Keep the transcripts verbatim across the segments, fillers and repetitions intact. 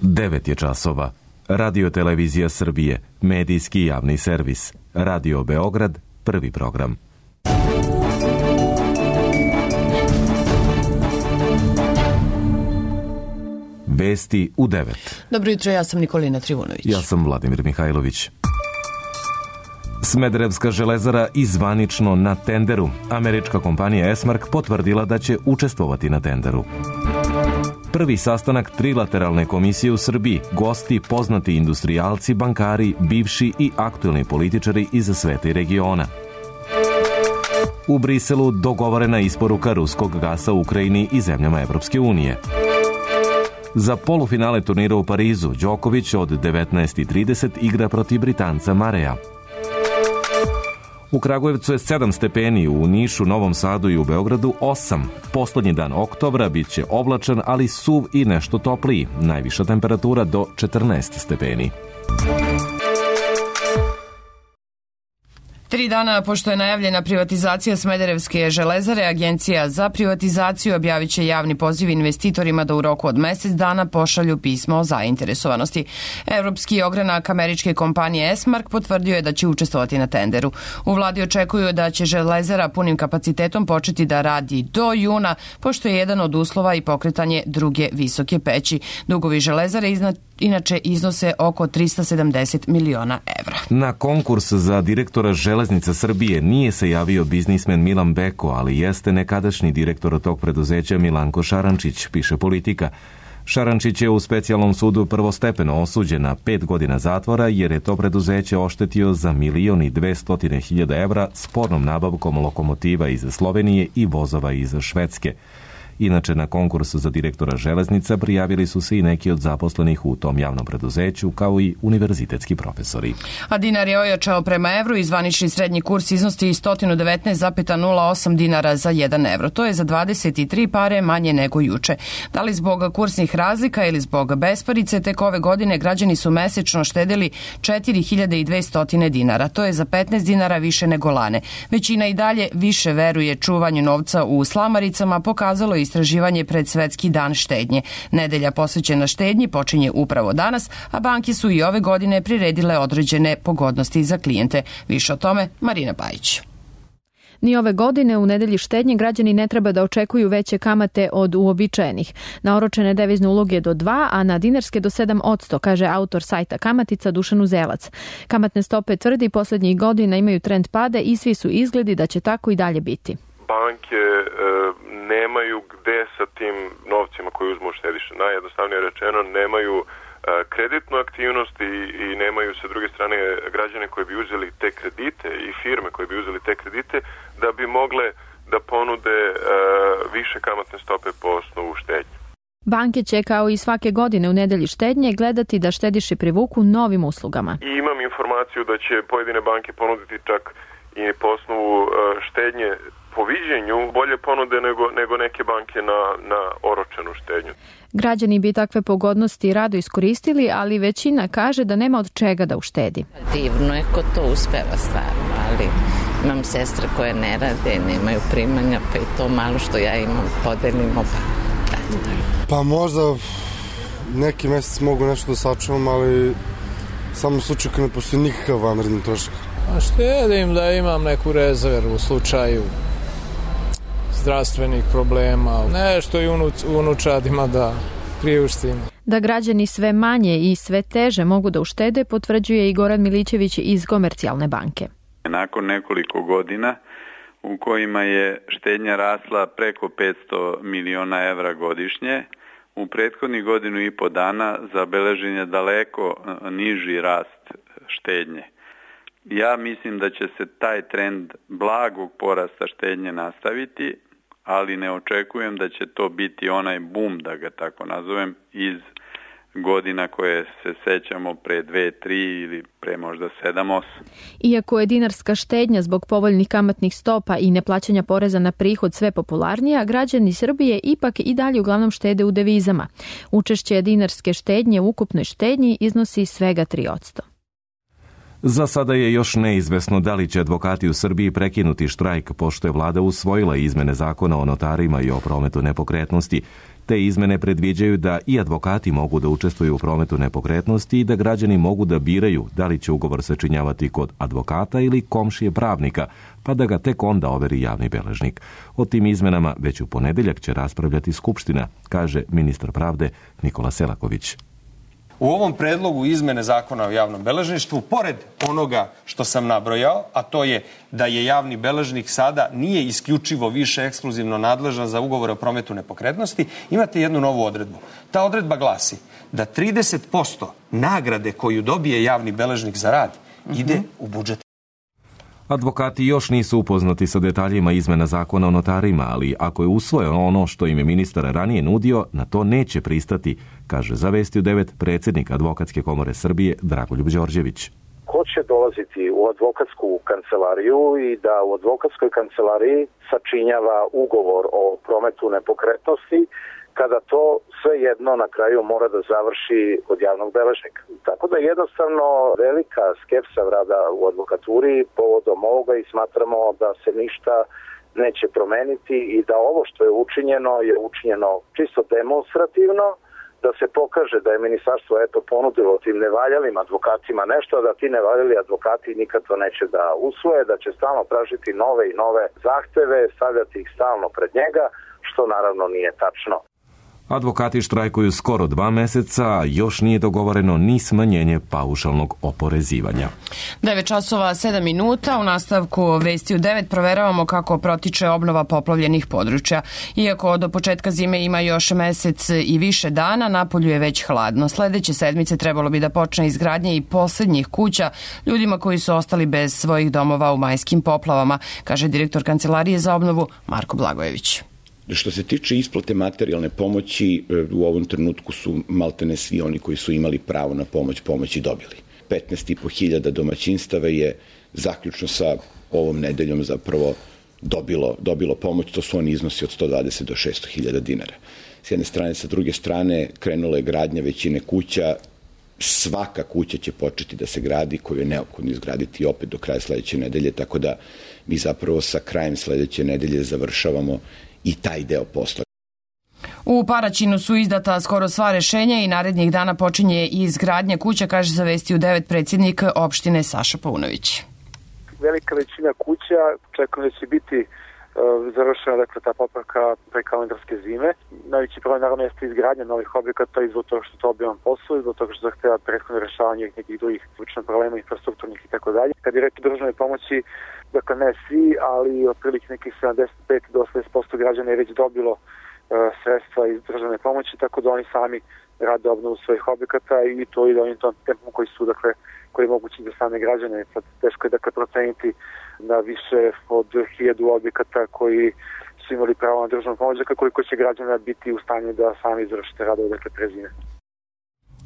devet je časova. Radio Televizija Srbije, medijski javni servis. Radio Beograd, prvi program. Vesti u devet. Dobro jutro, ja sam Nikolina Trivunović. Ja sam Vladimir Mihajlović. Smederevska železara izvanično na tenderu. Američka kompanija Esmark potvrdila da će učestvovati na tenderu. Prvi sastanak trilateralne komisije u Srbiji, gosti poznati industrijalci, bankari, bivši i aktuelni političari iz sveta i regiona. U Briselu dogovorena isporuka ruskog gasa u Ukrajini i zemljama Evropske unije. Za polufinale turnira u Parizu, Đoković od devetnaest i trideset igra protiv Britanca Mareja. U Kragujevcu je sedam stepeni, u Nišu, Novom Sadu i u Beogradu osam. Poslednji dan oktobra bit će oblačan, ali suv i nešto topliji. Najviša temperatura do četrnaest stepeni. Tri dana pošto je najavljena privatizacija Smederevske železare, Agencija za privatizaciju objavit će javni poziv investitorima da u roku od mesec dana pošalju pismo o zainteresovanosti. Evropski ogranak američke kompanije Esmark potvrdio je da će učestvovati na tenderu. U vladi očekuju da će železara punim kapacitetom početi da radi do juna, pošto je jedan od uslova i pokretanje druge visoke peći. Dugovi železare iznad inače iznose oko trista sedamdeset miliona evra. Na konkurs za direktora Železnica Srbije nije se javio biznismen Milan Beko, ali jeste nekadašnji direktor tog preduzeća Milanko Šarančić, piše Politika. Šarančić je u specijalnom sudu prvostepeno osuđen na pet godina zatvora jer je to preduzeće oštetio za milion i dvestotine hiljada evra spornom nabavkom lokomotiva iz Slovenije i vozova iz Švedske. Inače, na konkurs za direktora železnica prijavili su se i neki od zaposlenih u tom javnom preduzeću, kao i univerzitetski profesori. A dinar je ojačao prema evru i zvanični srednji kurs iznosi sto devetnaest zarez nula osam dinara za jedan evro. To je za dvadeset tri pare manje nego juče. Da li zbog kursnih razlika ili zbog besparice, tek ove godine građani su mesečno štedeli četiri hiljade dvesta dinara. To je za petnaest dinara više nego lane. Većina i dalje više veruje čuvanju novca u slamaricama, pokazalo je istraživanje pred Svetski dan štednje. Nedelja posvećena štednji počinje upravo danas, a banke su i ove godine priredile određene pogodnosti za klijente. Više o tome Marina Bajić. Ni ove godine u nedelji štednje građani ne treba da očekuju veće kamate od uobičajenih. Na oročene devizne uloge do dva, a na dinarske do sedam posto, kaže autor sajta Kamatica Dušan Uzelac. Kamatne stope, tvrdi, poslednjih godina imaju trend pada i svi su izgledi da će tako i dalje biti. Banke e, nemaju gde sa tim novcima koji uzmu štediše. Najjednostavnije rečeno, nemaju e, kreditnu aktivnost i, i nemaju sa druge strane građane koji bi uzeli te kredite i firme koji bi uzeli te kredite da bi mogle da ponude e, više kamatne stope po osnovu štednje. Banke će kao i svake godine u nedelji štednje gledati da štediše privuku novim uslugama. I imam informaciju da će pojedine banke ponuditi čak i po osnovu e, štednje po viđenju bolje ponude nego, nego neke banke na, na oročenu štednju. Građani bi takve pogodnosti rado iskoristili, ali većina kaže da nema od čega da uštedi. Divno je ko to uspeva stvarno, ali imam sestre koje ne rade, nemaju primanja, pa i to malo što ja imam podelimo. Pa, pa možda neki mesec mogu nešto da sačuvam, ali samo u slučaju kad ne postoji nikakav vanredni trošak. A štedim da imam neku rezervu u slučaju zdravstvenih problema, nešto i unuč, unučadima da priuštim. Da građani sve manje i sve teže mogu da uštede, potvrđuje i Goran Milićević iz Komercijalne banke. Nakon nekoliko godina u kojima je štednja rasla preko petsto miliona evra godišnje, u prethodnih godinu i po dana zabeležen je daleko niži rast štednje. Ja mislim da će se taj trend blagog porasta štednje nastaviti, ali ne očekujem da će to biti onaj bum, da ga tako nazovem, iz godina koje se sećamo pre dve, tri ili pre možda sedam, osam. Iako je dinarska štednja zbog povoljnih kamatnih stopa i neplaćanja poreza na prihod sve popularnija, građani Srbije ipak i dalje uglavnom štede u devizama. Učešće dinarske štednje u ukupnoj štednji iznosi svega tri posto. Za sada je još neizvesno da li će advokati u Srbiji prekinuti štrajk, pošto je vlada usvojila izmene zakona o notarima i o prometu nepokretnosti. Te izmene predviđaju da i advokati mogu da učestvuju u prometu nepokretnosti i da građani mogu da biraju da li će ugovor sačinjavati kod advokata ili komšije pravnika, pa da ga tek onda overi javni beležnik. O tim izmenama već u ponedeljak će raspravljati Skupština, kaže ministar pravde Nikola Selaković. U ovom predlogu izmene zakona o javnom beležništvu, pored onoga što sam nabrojao, a to je da je javni beležnik sada nije isključivo više ekskluzivno nadležan za ugovore o prometu nepokretnosti, imate jednu novu odredbu. Ta odredba glasi da trideset posto nagrade koju dobije javni beležnik za rad ide u budžet. Advokati još nisu upoznati sa detaljima izmena zakona o notarima, ali ako je usvojeno ono što im je ministar ranije nudio, na to neće pristati, kaže za Vesti u devet predsjednik Advokatske komore Srbije Dragoljub Đorđević. Ko će dolaziti u advokatsku kancelariju i da u advokatskoj kancelariji sačinjava ugovor o prometu nepokretnosti, kada to sve jedno na kraju mora da završi kod javnog beležnika. Tako da jednostavno velika skepsa rada u advokaturi povodom ovoga i smatramo da se ništa neće promeniti i da ovo što je učinjeno je učinjeno čisto demonstrativno, da se pokaže da je ministarstvo eto ponudilo tim nevaljalim advokatima nešto, da ti nevaljali advokati nikad to neće da usvoje, da će stalno tražiti nove i nove zahteve, stavljati ih stalno pred njega, što naravno nije tačno. Advokati štrajkuju skoro dva meseca, a još nije dogovoreno ni smanjenje paušalnog oporezivanja. devet časova sedam minuta, u nastavku Vesti u devet proveravamo kako protiče obnova poplavljenih područja. Iako do početka zime ima još mesec i više dana, napolju je već hladno. Sledeće sedmice trebalo bi da počne izgradnje i posljednjih kuća ljudima koji su ostali bez svojih domova u majskim poplavama, kaže direktor Kancelarije za obnovu Marko Blagojević. Što se tiče isplate materijalne pomoći, u ovom trenutku su maltene svi oni koji su imali pravo na pomoć, pomoći dobili. petnaest i po hiljada domaćinstava je zaključno sa ovom nedeljom zapravo dobilo, dobilo pomoć, to su oni iznosi od sto dvadeset do šesto hiljada dinara. S jedne strane, sa druge strane, krenula je gradnja većine kuća, svaka kuća će početi da se gradi koju je neophodno izgraditi opet do kraja sledeće nedelje, tako da mi zapravo sa krajem sledeće nedelje završavamo i taj deo posla. U Paraćinu su izdata skoro sva rešenja i narednih dana počinje i izgradnja kuća, kaže za Vesti u devet predsjednik opštine Saša Paunović. Velika većina kuća čekamo da će biti uh, završena dakle, ta popravka pre kalendarske zime. Najveći problem naravno jeste izgradnja novih objekata i zbog toga što to obiman posao i zbog toga što zahteva prethodno rešavanje nekih drugih sličnih problema, infrastrukturnih i tako dalje. Kad je reč o državnoj pomoći, dakle ne svi, ali otprilike nekih sedamdeset pet do osamdeset posto građana je već dobilo uh, sredstva iz državne pomoći, tako da oni sami rade obnovu svojih objekata i to ide onim tom tempom koji su, dakle, koji je mogući za same građane. Sad teško je dakle proceniti na više od hiljadu objekata koji su imali pravo na državnu pomoć, dakle koliko će građana biti u stanju da sami izvršite radove dakle pre zime.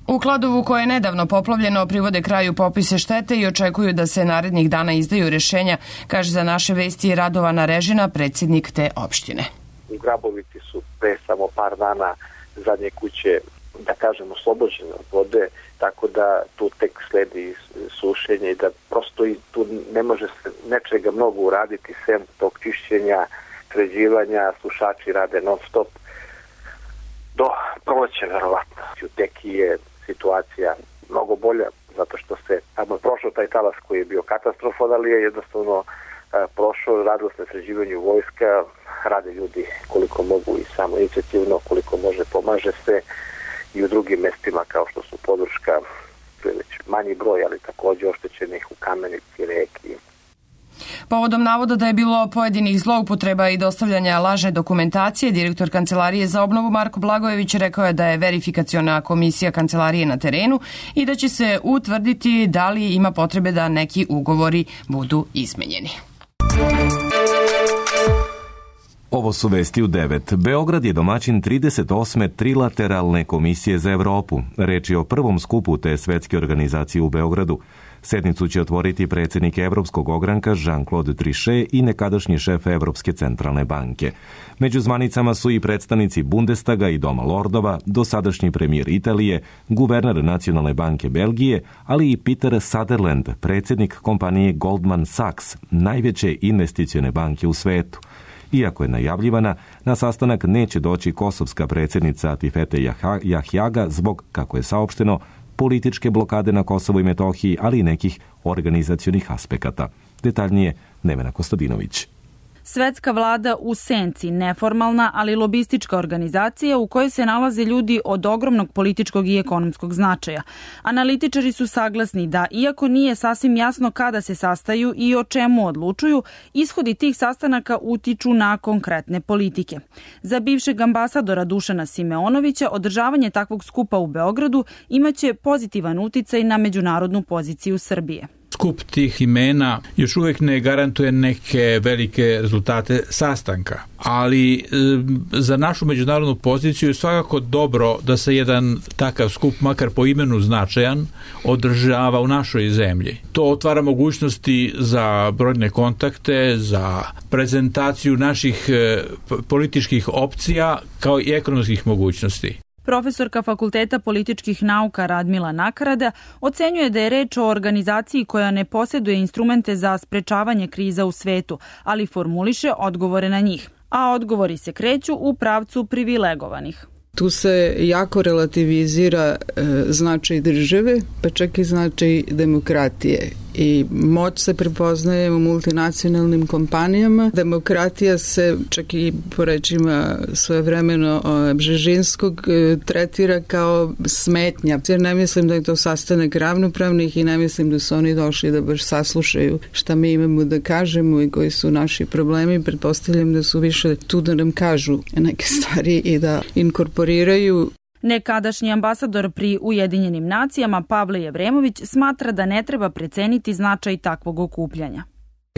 U Kladovu, koje je nedavno poplavljeno, privode kraju popise štete i očekuju da se narednih dana izdaju rešenja, kaže za naše Vesti Radovana Režina, predsjednik te opštine. U Grabovici su pre samo par dana zadnje kuće, da kažemo, oslobođene od vode, tako da tu tek sledi sušenje i da prosto i tu ne može se nečega mnogo uraditi sem tog čišćenja, sređivanja, sušači rade non stop do proleća verovatno. U Teki je situacija mnogo bolja zato što se tamo prošao taj talas koji je bio katastrofan, ali je jednostavno prošao, radilo se na sređivanju vojska, rade ljudi koliko mogu i samo inicijativno, koliko može pomaže se i u drugim mestima kao što su Podruška, to je već manji broj, ali takođe oštećenih u Kamenici, Reki. Povodom navoda da je bilo pojedinih zloupotreba i dostavljanja lažne dokumentacije, direktor Kancelarije za obnovu Marko Blagojević rekao je da je verifikaciona komisija Kancelarije na terenu i da će se utvrditi da li ima potrebe da neki ugovori budu izmenjeni. Ovo su Vesti u devet. Beograd je domaćin trideset osme trilateralne komisije za Evropu. Reč je o prvom skupu te svetske organizacije u Beogradu. Sednicu će otvoriti predsjednik Evropskog ogranka Jean-Claude Trichet i nekadašnji šef Evropske centralne banke. Među zvanicama su i predstavnici Bundestaga i Doma lordova, dosadašnji premijer Italije, guverner Nacionalne banke Belgije, ali i Peter Sutherland, predsjednik kompanije Goldman Sachs, najveće investicione banke u svetu. Iako je najavljivana, na sastanak neće doći kosovska predsjednica Atifete Jahjaga zbog, kako je saopšteno, političke blokade na Kosovu i Metohiji, ali i nekih organizacionih aspekata. Detaljnije Nevena Kostadinović. Svetska vlada u senci, neformalna, ali lobistička organizacija u kojoj se nalaze ljudi od ogromnog političkog i ekonomskog značaja. Analitičari su saglasni da, iako nije sasvim jasno kada se sastaju i o čemu odlučuju, ishodi tih sastanaka utiču na konkretne politike. Za bivšeg ambasadora Dušana Simeonovića, održavanje takvog skupa u Beogradu imaće pozitivan uticaj na međunarodnu poziciju Srbije. Skup tih imena još uvijek ne garantuje neke velike rezultate sastanka, ali e, za našu međunarodnu poziciju je svakako dobro da se jedan takav skup, makar po imenu značajan, održava u našoj zemlji. To otvara mogućnosti za brojne kontakte, za prezentaciju naših e, političkih opcija kao i ekonomskih mogućnosti. Profesorka Fakulteta političkih nauka Radmila Nakarada ocenjuje da je reč o organizaciji koja ne posjeduje instrumente za sprečavanje kriza u svetu, ali formuliše odgovore na njih. A odgovori se kreću u pravcu privilegovanih. Tu se jako relativizira e, značaj države, pa čak i značaj demokratije. I moć se prepoznaje u multinacionalnim kompanijama. Demokratija se, čak i po rečima svojevremeno Bžežinskog, tretira kao smetnja. Jer ne mislim da je to sastanak ravnopravnih i ne mislim da su oni došli da baš saslušaju šta mi imamo da kažemo i koji su naši problemi. Pretpostavljam da su više tu da nam kažu neke stvari i da inkorporiraju. Nekadašnji ambasador pri Ujedinjenim nacijama Pavle Jevremović smatra da ne treba preceniti značaj takvog okupljanja.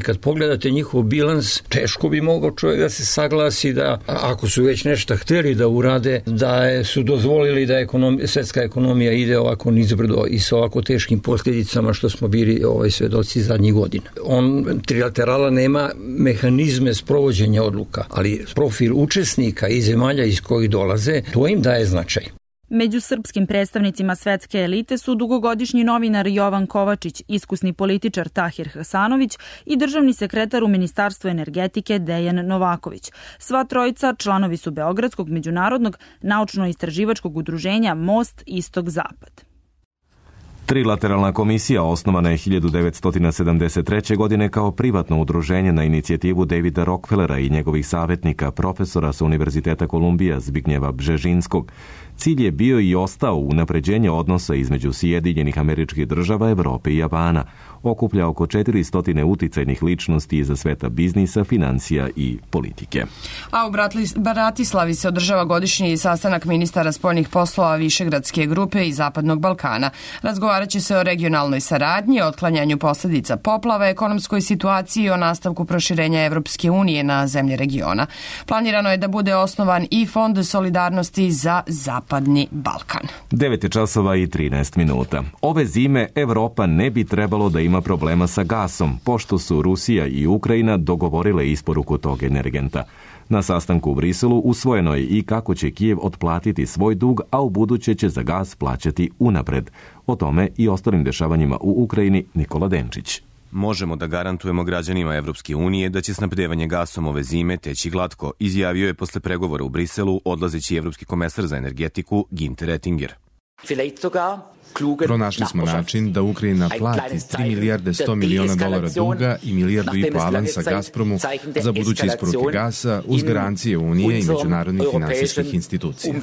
Kad pogledate njihov bilans, teško bi mogao čovjek da se saglasi da ako su već nešto htjeli da urade, da su dozvolili da ekonomija, svetska ekonomija ide ovako nizbrdo i sa ovako teškim posljedicama što smo bili ovaj svedoci zadnjih godina. On trilaterala nema mehanizme sprovođenja odluka, ali profil učesnika i zemalja iz kojih dolaze, to im daje značaj. Među srpskim predstavnicima svetske elite su dugogodišnji novinar Jovan Kovačić, iskusni političar Tahir Hasanović i državni sekretar u Ministarstvu energetike Dejan Novaković. Sva trojica članovi su Beogradskog međunarodnog naučno-istraživačkog udruženja Most Istok-Zapad. Trilateralna komisija osnovana je hiljadu devetsto sedamdeset treće. godine kao privatno udruženje na inicijativu Davida Rockefellera i njegovih savjetnika, profesora sa Univerziteta Kolumbija Zbignjeva Bžežinskog. Cilj je bio i ostao unapređenje odnosa između Sjedinjenih Američkih Država, Evrope i Japana. Okuplja oko četiristo uticajnih ličnosti iza sveta biznisa, financija i politike. A u Bratislavi se održava godišnji sastanak ministara spoljnih poslova Višegradske grupe i Zapadnog Balkana. Razgovarat će se o regionalnoj saradnji, otklanjanju posljedica poplava, ekonomskoj situaciji i o nastavku proširenja Evropske unije na zemlje regiona. Planirano je da bude osnovan i Fond solidarnosti za Zapadni Balkan. devet je časova i trinaest minuta. Ove zime Evropa ne bi trebalo da ima problema sa gasom, pošto su Rusija i Ukrajina dogovorile isporuku tog energenta. Na sastanku u Briselu usvojeno je i kako će Kijev otplatiti svoj dug, a u buduće će za gas plaćati unapred. O tome i ostalim dešavanjima u Ukrajini Nikola Denčić. Možemo da garantujemo građanima Evropske unije da će snabdevanje gasom ove zime teći glatko, izjavio je posle pregovora u Briselu odlazeći evropski komesar za energetiku Günther Oettinger. Pronašli smo način da Ukrajina plati tri milijarde sto miliona dolara duga i milijardu i po avansa Gazpromu za buduće isporuke gasa uz garancije Unije i međunarodnih finansijskih institucija.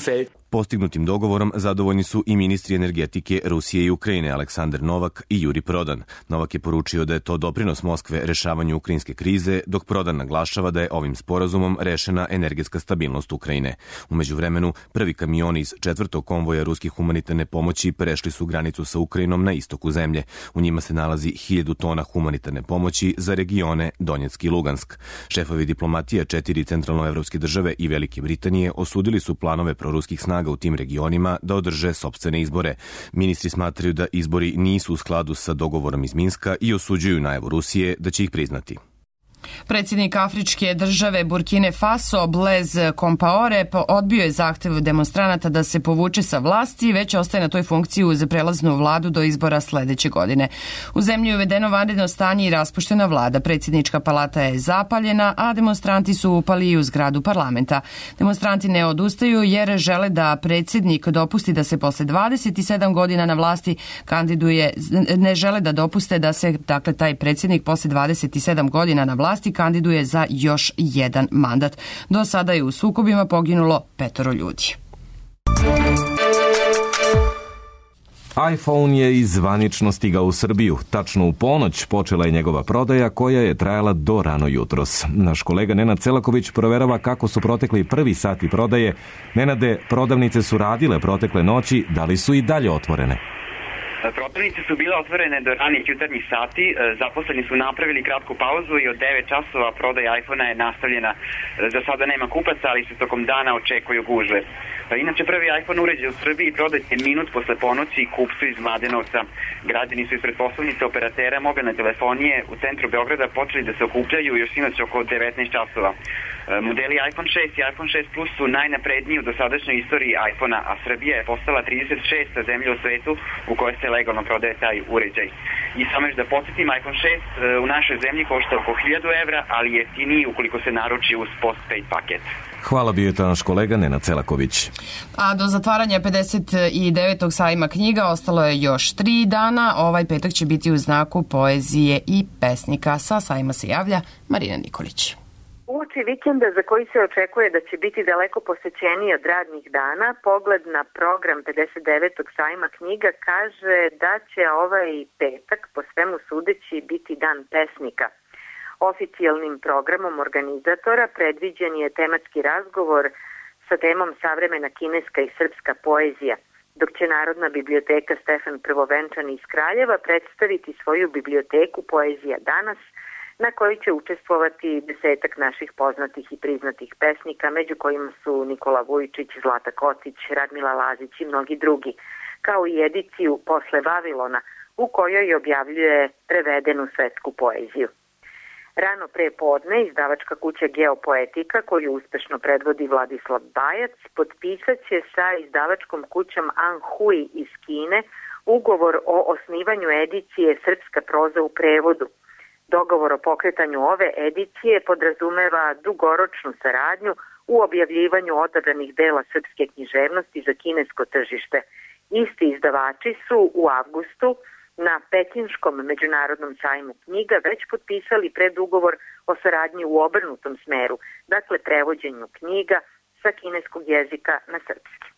Postignutim dogovorom zadovoljni su i ministri energetike Rusije i Ukrajine Aleksandar Novak i Juri Prodan. Novak je poručio da je to doprinos Moskve rešavanju ukrajinske krize, dok Prodan naglašava da je ovim sporazumom rešena energetska stabilnost Ukrajine. U međuvremenu, prvi kamioni iz četvrtog konvoja ruskih humanitarne pomoći prešli su su granicu sa Ukrajinom na istoku zemlje. U njima se nalazi hiljadu tona humanitarne pomoći za regione Donjeck i Lugansk. Šefovi diplomatije četiri centralnoevropske države i Velike Britanije osudili su planove proruskih snaga u tim regionima da održe sopstvene izbore. Ministri smatraju da izbori nisu u skladu sa dogovorom iz Minska i osuđuju najavu Rusije da će ih priznati. Predsjednik afričke države Burkine Faso Blaise Compaoré odbio je zahtev demonstranata da se povuče sa vlasti i već ostaje na toj funkciji uz prelaznu vladu do izbora sledeće godine. U zemlji je uvedeno vanredno stanje i raspuštena vlada. Predsjednička palata je zapaljena, a demonstranti su upali i u zgradu parlamenta. Demonstranti ne odustaju jer žele da predsjednik dopusti da se posle dvadeset sedam godina na vlasti kandiduje, ne žele da dopuste da se, dakle, taj predsjednik posle dvadeset sedam godina na vlasti kandiduje za još jedan mandat. Do sada je u sukobima poginulo petoro ljudi. iPhone je i zvanično stigao u Srbiju. Tačno u ponoć počela je njegova prodaja koja je trajala do rano jutros. Naš kolega Nenad Celaković proverava kako su protekli prvi sati prodaje. Nenade, prodavnice su radile protekle noći, da li su i dalje otvorene? Prodavnice su bile otvorene do ranih jutarnjih sati, zaposleni su napravili kratku pauzu i od devet časova prodaja iPhona je nastavljena. Za sada nema kupaca, ali se tokom dana očekuju gužve. Inače, prvi iPhone uređaj u Srbiji prodat je minut posle ponoći kupcu iz Mladenovca. Građani su ispred poslovnice operatera mobilne telefonije u centru Beograda počeli da se okupljaju još sinoć oko devetnaest časova. Modeli iPhone šest i iPhone šest Plus su najnapredniji u dosadašnjoj istoriji iPhona, a Srbija je postala trideset šesta zemlja u svetu u kojoj se legalno prodaje taj uređaj. I samo još da podsjetim, iPhone šest u našoj zemlji košta oko hiljadu evra, ali je jeftiniji ukoliko se naruči uz postpaid paket. Hvala, bio je to naš kolega Nenad Celaković. A do zatvaranja pedeset devetog sajma knjiga ostalo je još tri dana. Ovaj petak će biti u znaku poezije i pesnika. Sa sajma se javlja Marina Nikolić. Uoči vikenda za koji se očekuje da će biti daleko posećeniji od radnih dana, pogled na program pedeset devetog sajma knjiga kaže da će ovaj petak po svemu sudeći biti dan pesnika. Oficijalnim programom organizatora predviđen je tematski razgovor sa temom savremena kineska i srpska poezija, dok će Narodna biblioteka Stefan Prvovenčani iz Kraljeva predstaviti svoju biblioteku Poezija danas, na kojoj će učestvovati desetak naših poznatih i priznatih pesnika, među kojima su Nikola Vujčić, Zlata Kocić, Radmila Lazić i mnogi drugi, kao i ediciju Posle Vavilona, u kojoj objavljuje prevedenu svetsku poeziju. Rano pre podne izdavačka kuća Geopoetika, koju uspešno predvodi Vladislav Bajac, potpisat će sa izdavačkom kućom Anhui iz Kine ugovor o osnivanju edicije Srpska proza u prevodu. Dogovor o pokretanju ove edicije podrazumeva dugoročnu saradnju u objavljivanju odabranih dela srpske književnosti za kinesko tržište. Isti izdavači su u avgustu na Pekinškom međunarodnom sajmu knjiga već potpisali predugovor o saradnji u obrnutom smeru, dakle prevođenju knjiga sa kineskog jezika na srpski.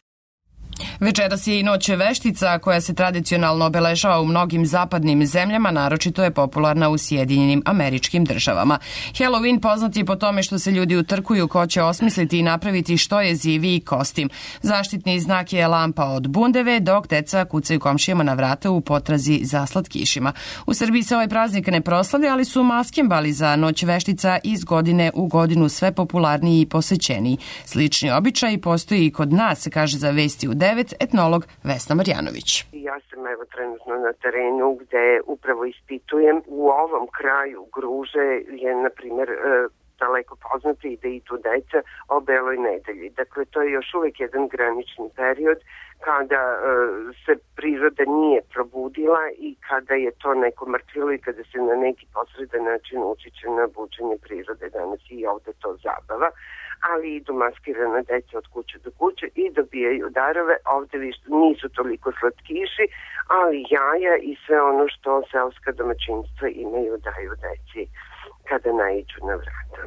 Večeras je i Noć veštica koja se tradicionalno obeležava u mnogim zapadnim zemljama, naročito je popularna u Sjedinjenim Američkim Državama. Halloween poznat je po tome što se ljudi utrkuju ko će osmisliti i napraviti što je ziviji kostim. Zaštitni znak je lampa od bundeve, dok deca kucaju komšijama na vrata u potrazi za slatkišima. U Srbiji se ovaj praznik ne proslavlja, ali su maskembali za Noć veštica iz godine u godinu sve popularniji i posećeniji. Slični običaj postoji i kod nas, kaže za Vesti u devet etnolog Vesna Marjanović. Ja sam evo trenutno na terenu gde upravo ispitujem. U ovom kraju Gruže je, na primjer, daleko poznato i da idu deca o Beloj nedelji. Dakle, to je još uvek jedan granični period kada e, se priroda nije probudila i kada je to neko mrtvilo i kada se na neki posredan način utiče na buđenje prirode. Danas i ovde to zabava, ali idu maskirana deca od kuće do kuće i dobijaju darove. Ovde više nisu toliko slatkiši, ali jaja i sve ono što selska domaćinstva imaju daju deci kada naiđu na vrata.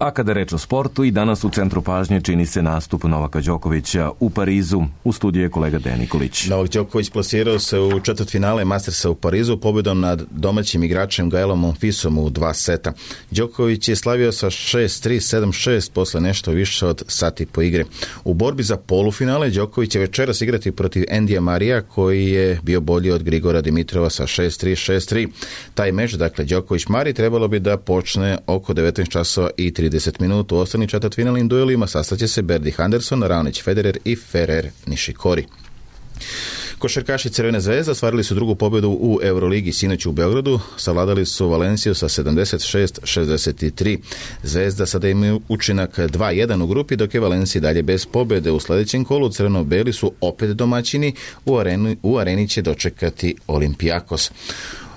A kada reč o sportu, i danas u centru pažnje čini se nastup Novaka Đokovića u Parizu. U studiju je kolega Dejan Nikolić. Novak Đoković plasirao se u četvrtfinale Mastersa u Parizu pobjedom nad domaćim igračem Gaelom Monfisom u dva seta. Đoković je slavio sa šest tri sedam šest posle nešto više od sati po igre. U borbi za polufinale Đoković će večeras igrati protiv Endija Marija, koji je bio bolji od Grigora Dimitrova sa šest tri šest tri. Taj meč, dakle Đoković-Mari, trebalo bi da počne oko devetnaest časova i trideset minuta. U ostalim četvrtfinalnim duelima sastaće se Berdych Anderson, Raonic Federer i Ferrer Nishikori. Košarkaši Crvene zvezde ostvarili su drugu pobjedu u Euroligi sinoć u Beogradu, savladali su Valenciju sa sedamdeset šest šezdeset tri. Zvezda sada ima učinak dva jedan u grupi, dok je Valencija dalje bez pobjede. U sljedećem kolu crveno-beli su opet domaćini, u areni, u areni će dočekati Olimpijakos.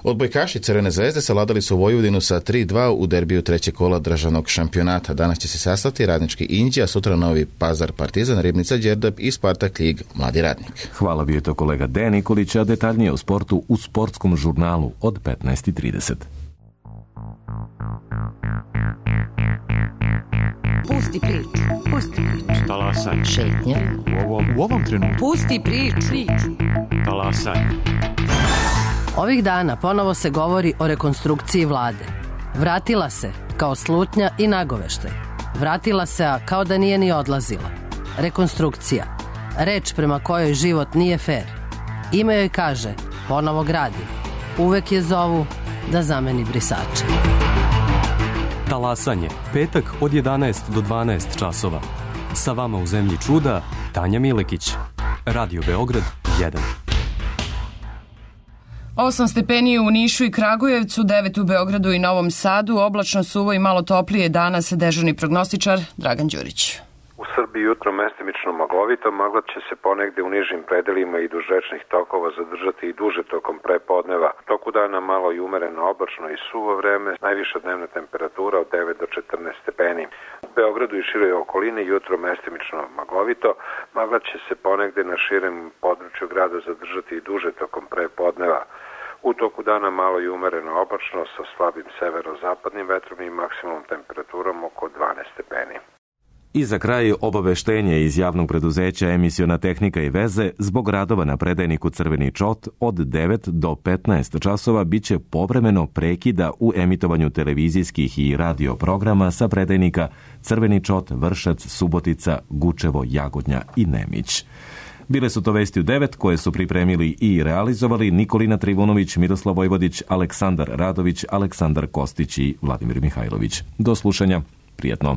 Odbojkaši Crvene zvezde savladali su Vojvodinu sa tri dva u derbiju trećeg kola državnog šampionata. Danas će se sastati Radnički Inđija, sutra Novi Pazar Partizan, Ribnica Đerdap i Spartak Lig Mladi Radnik. Hvala, bio je to kolega Dejan Nikolić, a detaljnije o sportu u sportskom žurnalu od petnaest trideset. Pusti priču, pusti priču. Talasaj. Šetnja. U ovom, u ovom trenutku. Pusti priču. priču. Talasaj. Ovih dana ponovo se govori o rekonstrukciji vlade. Vratila se kao slutnja i nagoveštaj. Vratila se, a kao da nije ni odlazila. Rekonstrukcija. Reč prema kojoj život nije fer. Ime joj kaže, ponovo gradim. Uvek je zovu da zameni brisače. Talasanje. Petak od jedanaest do dvanaest časova. Sa vama u zemlji čuda, Tanja Milekić. Radio Beograd jedan. Osam stepeni u Nišu i Kragujevcu, devet u Beogradu i Novom Sadu, oblačno, suvo i malo toplije danas, dežurni prognostičar Dragan Đurić. U Srbiji jutro mestimično maglovito, magla će se ponegde u nižim predelima i duž rečnih tokova zadržati i duže tokom prepodneva. Toku dana malo i umereno oblačno i suvo vreme, najviša dnevna temperatura od devet do četrnaest stepeni. U Beogradu i široj okolini jutro mestimično maglovito, magla će se ponegde na širem području grada zadržati i duže tokom prepodneva. U toku dana malo i umereno oblačno sa slabim severozapadnim vetrom i maksimum temperaturom oko dvanaest stepeni. I za kraj obaveštenje iz javnog preduzeća Emisiona tehnika i veze. Zbog radova na predajniku Crveni čot od devet do petnaest časova biće povremeno prekida u emitovanju televizijskih i radio programa sa predajnika Crveni čot, Vršac, Subotica, Gučevo, Jagodnja i Nemić. Bile su to vesti u devet koje su pripremili i realizovali Nikolina Trivunović, Miroslav Vojvodić, Aleksandar Radović, Aleksandar Kostić i Vladimir Mihajlović. Do slušanja, prijatno.